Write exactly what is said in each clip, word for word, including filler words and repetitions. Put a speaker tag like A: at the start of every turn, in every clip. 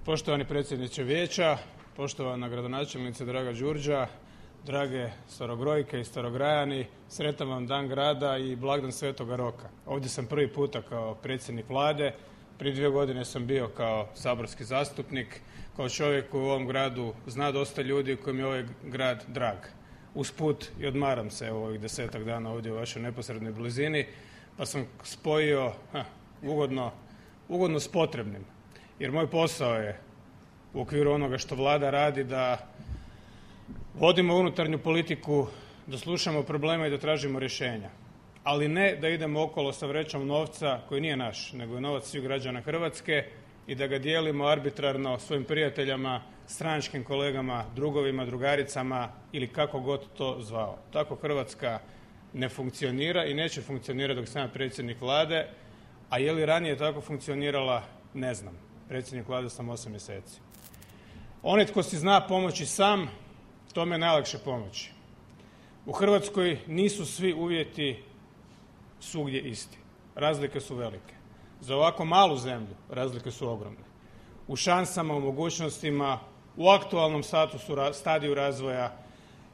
A: Poštovani predsjedniče vijeća, poštovana gradonačelnice draga Đurđa, drage starogrojke i starograjani, sretan vam dan grada i blagdan Svetoga Roka. Ovdje sam prvi puta kao predsjednik Vlade, prije dvije godine sam bio kao saborski zastupnik, kao čovjek koji u ovom gradu zna dosta ljudi kojim je ovaj grad drag. Usput i odmaram se u ovih desetak dana ovdje u vašoj neposrednoj blizini, pa sam spojio ha, ugodno, ugodno s potrebnim. Jer moj posao je u okviru onoga što Vlada radi da vodimo unutarnju politiku, da slušamo probleme i da tražimo rješenja. Ali ne da idemo okolo sa vrećom novca koji nije naš, nego je novac svih građana Hrvatske i da ga dijelimo arbitrarno svojim prijateljima, stranačkim kolegama, drugovima, drugaricama ili kako god to zvao. Tako Hrvatska ne funkcionira i neće funkcionirati dok sam ja predsjednik Vlade, a je li ranije tako funkcionirala, ne znam. Predsjednik Vlade sam osam mjeseci. Onaj tko si zna pomoći sam, tome je najlakše pomoći. U Hrvatskoj nisu svi uvjeti svugdje isti. Razlike su velike. Za ovako malu zemlju razlike su ogromne. U šansama, u mogućnostima, u aktualnom statusu, stadiju razvoja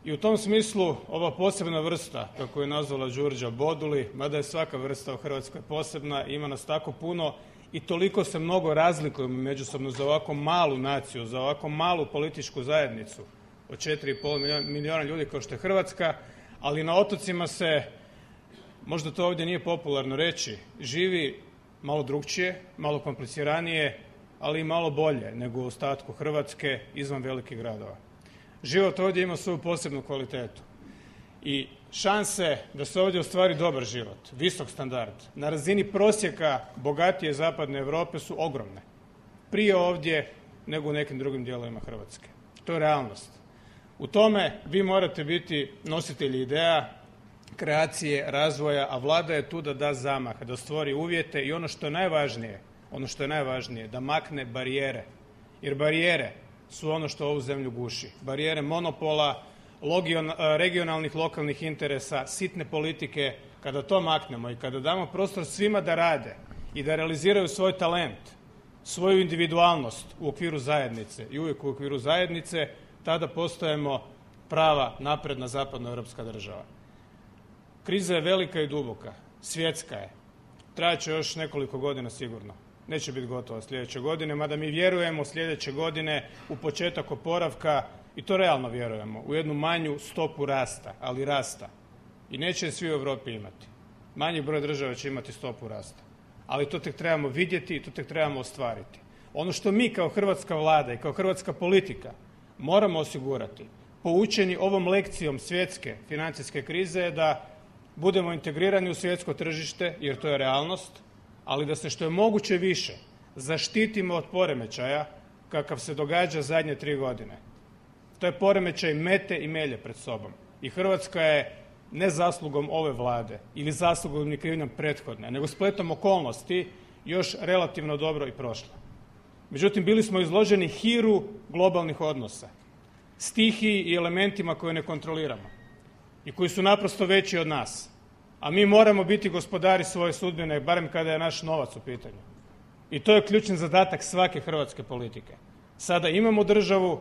A: i u tom smislu ova posebna vrsta, kako je nazvala Đurđa, boduli, mada je svaka vrsta u Hrvatskoj posebna, ima nas tako puno i toliko se mnogo razlikujemo međusobno za ovako malu naciju, za ovako malu političku zajednicu od četiri i pol milijuna ljudi kao što je Hrvatska, ali na otocima se, možda to ovdje nije popularno reći, živi malo drukčije, malo kompliciranije, ali i malo bolje nego u ostatku Hrvatske izvan velikih gradova. Život ovdje ima svoju posebnu kvalitetu i šanse da se ovdje ostvari dobar život, visok standard, na razini prosjeka bogatije zapadne Europe su ogromne. Prije ovdje nego u nekim drugim dijelovima Hrvatske. To je realnost. U tome vi morate biti nositelji ideja, kreacije, razvoja, a Vlada je tu da da zamah, da stvori uvjete i ono što je najvažnije, ono što je najvažnije, da makne barijere. Jer barijere su ono što ovu zemlju guši. Barijere monopola, regionalnih, lokalnih interesa, sitne politike, kada to maknemo i kada damo prostor svima da rade i da realiziraju svoj talent, svoju individualnost u okviru zajednice i uvijek u okviru zajednice, tada postajemo prava napredna zapadnoeuropska država. Kriza je velika i duboka, svjetska je. Trajat će još nekoliko godina sigurno. Neće biti gotova sljedeće godine, mada mi vjerujemo sljedeće godine u početak oporavka i to realno vjerujemo, u jednu manju stopu rasta, ali rasta. I neće je svi u Europi imati. Manji broj država će imati stopu rasta. Ali to tek trebamo vidjeti i to tek trebamo ostvariti. Ono što mi kao hrvatska Vlada i kao hrvatska politika moramo osigurati, poučeni ovom lekcijom svjetske financijske krize, je da budemo integrirani u svjetsko tržište, jer to je realnost, ali da se što je moguće više zaštitimo od poremećaja kakav se događa zadnje tri godine. To je poremećaj mete i melje pred sobom. I Hrvatska je ne zaslugom ove Vlade ili zaslugom ni krivnjom prethodne, nego spletom okolnosti još relativno dobro i prošla. Međutim, bili smo izloženi hiru globalnih odnosa, stihiji i elementima koje ne kontroliramo i koji su naprosto veći od nas. A mi moramo biti gospodari svoje sudbine, barem kada je naš novac u pitanju. I to je ključni zadatak svake hrvatske politike. Sada imamo državu,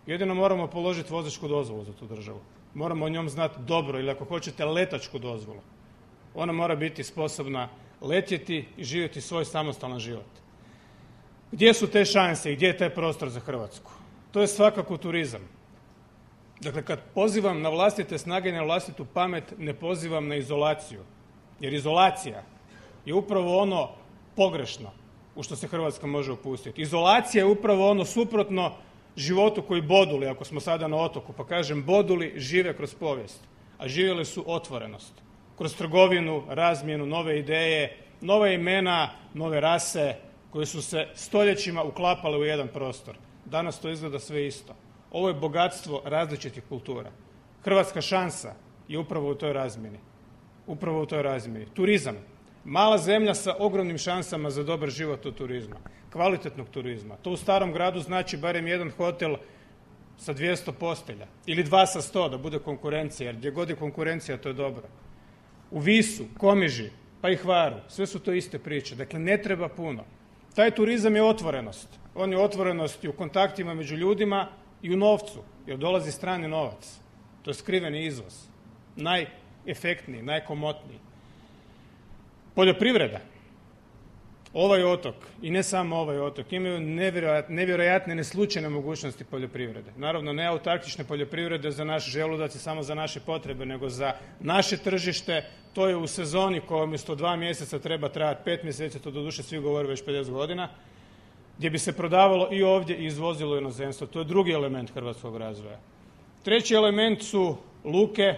A: jedino moramo položiti vozačku dozvolu za tu državu. Moramo o njom znati dobro ili ako hoćete letačku dozvolu. Ona mora biti sposobna letjeti i živjeti svoj samostalan život. Gdje su te šanse i gdje je taj prostor za Hrvatsku? To je svakako turizam. Dakle, kad pozivam na vlastite snage i na vlastitu pamet, ne pozivam na izolaciju. Jer izolacija je upravo ono pogrešno u što se Hrvatska može upustiti. Izolacija je upravo ono suprotno životu koji boduli, ako smo sada na otoku, pa kažem boduli žive kroz povijest, a živjeli su otvorenost. Kroz trgovinu, razmjenu, nove ideje, nove imena, nove rase koje su se stoljećima uklapale u jedan prostor. Danas to izgleda sve isto. Ovo je bogatstvo različitih kultura. Hrvatska šansa je upravo u toj razmjeni. Upravo u toj razmjeni. Turizam. Mala zemlja sa ogromnim šansama za dobar život od turizma. Kvalitetnog turizma. To u starom gradu znači barem jedan hotel sa dvjesto postelja. Ili dva sa sto da bude konkurencija. Jer gdje god je konkurencija to je dobro. U Visu, Komiži, pa i Hvaru. Sve su to iste priče. Dakle, ne treba puno. Taj turizam je otvorenost. On je otvorenost i u kontaktima među ljudima i u novcu, jer dolazi strani novac. To je skriveni izvoz. Najefektniji, najkomotniji. Poljoprivreda. Ovaj otok, i ne samo ovaj otok, imaju nevjerojatne, nevjerojatne neslučajne mogućnosti poljoprivrede. Naravno, ne autarkične poljoprivrede za naš želudac i samo za naše potrebe, nego za naše tržište. To je u sezoni koja umjesto dva mjeseca treba trajati pet mjeseci, to doduše svi govore već pedeset godina, gdje bi se prodavalo i ovdje i izvozilo u inozemstvo. To je drugi element hrvatskog razvoja. Treći element su luke,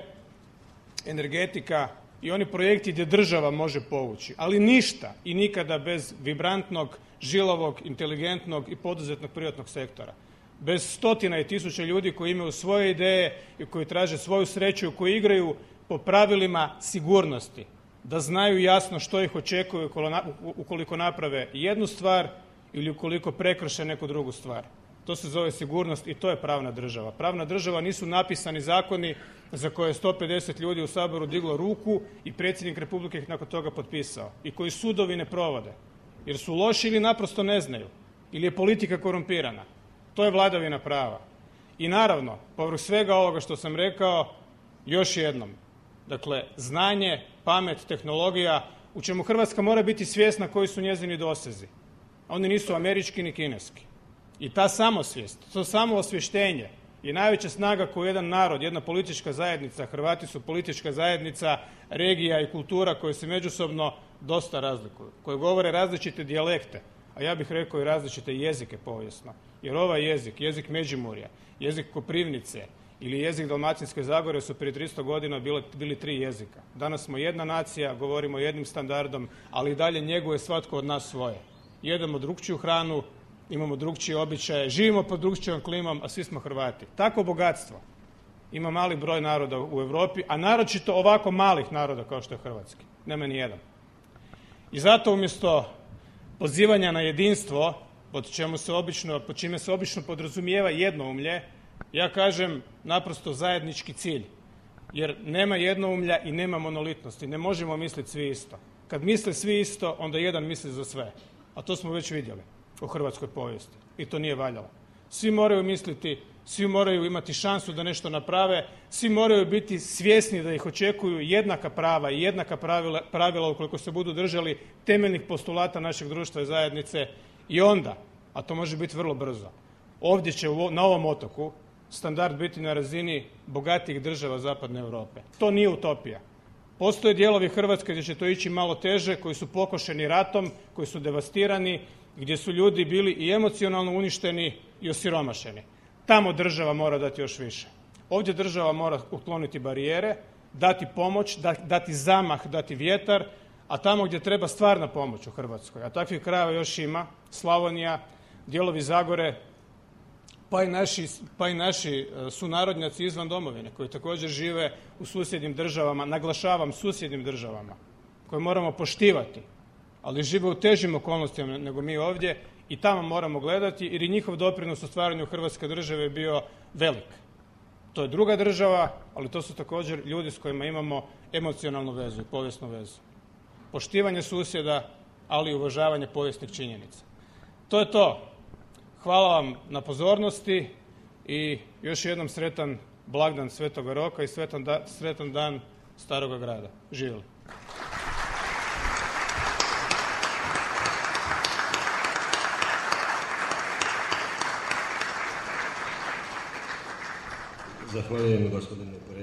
A: energetika i oni projekti gdje država može povući, ali ništa i nikada bez vibrantnog, žilavog, inteligentnog i poduzetnog privatnog sektora. Bez stotina i tisuća ljudi koji imaju svoje ideje i koji traže svoju sreću i koji igraju po pravilima sigurnosti, da znaju jasno što ih očekuje ukoliko naprave jednu stvar ili ukoliko prekrše neku drugu stvar. To se zove sigurnost i to je pravna država. Pravna država nisu napisani zakoni za koje je sto pedeset ljudi u Saboru diglo ruku i predsjednik Republike ih nakon toga potpisao i koji sudovi ne provode jer su loši ili naprosto ne znaju ili je politika korumpirana. To je vladavina prava. I naravno, povrh svega ovoga što sam rekao, još jednom, dakle, znanje, pamet, tehnologija, u čemu Hrvatska mora biti svjesna koji su njezini dosezi. Oni nisu američki ni kineski. I ta samosvijest, to samoosvještenje je najveća snaga koju jedan narod, jedna politička zajednica, Hrvati su politička zajednica, regija i kultura koje se međusobno dosta razlikuju, koje govore različite dijalekte, a ja bih rekao i različite jezike povijesno. Jer ovaj jezik, jezik Međimurja, jezik Koprivnice ili jezik Dalmatinske zagore su prije tristo godina bili, bili tri jezika. Danas smo jedna nacija, govorimo jednim standardom, ali i dalje njeguje svatko od nas svoje. Jedemo drukčiju hranu, imamo drukčije običaje, živimo pod drukčijom klimom, a svi smo Hrvati. Takvo bogatstvo ima mali broj naroda u Europi, a naročito ovako malih naroda kao što je hrvatski. Nema ni jedan. I zato umjesto pozivanja na jedinstvo, pod čemu se obično, pod čime se obično podrazumijeva jednoumlje, ja kažem naprosto zajednički cilj. Jer nema jednoumlja i nema monolitnosti. Ne možemo misliti svi isto. Kad misle svi isto, onda jedan misli za sve. A to smo već vidjeli u hrvatskoj povijesti i to nije valjalo. Svi moraju misliti, svi moraju imati šansu da nešto naprave, svi moraju biti svjesni da ih očekuju jednaka prava i jednaka pravila, pravila ukoliko se budu držali temeljnih postulata našeg društva i zajednice i onda, a to može biti vrlo brzo, ovdje će na ovom otoku standard biti na razini bogatijih država zapadne Europe. To nije utopija. Postoje dijelovi Hrvatske gdje će to ići malo teže, koji su pokošeni ratom, koji su devastirani, gdje su ljudi bili i emocionalno uništeni i osiromašeni. Tamo država mora dati još više. Ovdje država mora ukloniti barijere, dati pomoć, dati zamah, dati vjetar, a tamo gdje treba stvarna pomoć u Hrvatskoj, a takvih krajeva još ima, Slavonija, dijelovi Zagore, pa i naši, pa i naši sunarodnjaci izvan domovine koji također žive u susjednim državama, naglašavam susjednim državama, koje moramo poštivati, ali žive u težim okolnostima nego mi ovdje i tamo moramo gledati jer i njihov doprinos u stvaranju Hrvatske države je bio velik. To je druga država, ali to su također ljudi s kojima imamo emocionalnu vezu i povijesnu vezu. Poštivanje susjeda, ali i uvažavanje povijesnih činjenica. To je to. Hvala vam na pozornosti i još jednom sretan blagdan Svetoga Roka i sretan, da, sretan dan Staroga grada. Živjeli.
B: Zahvaljujem gospodinu predsjedniku.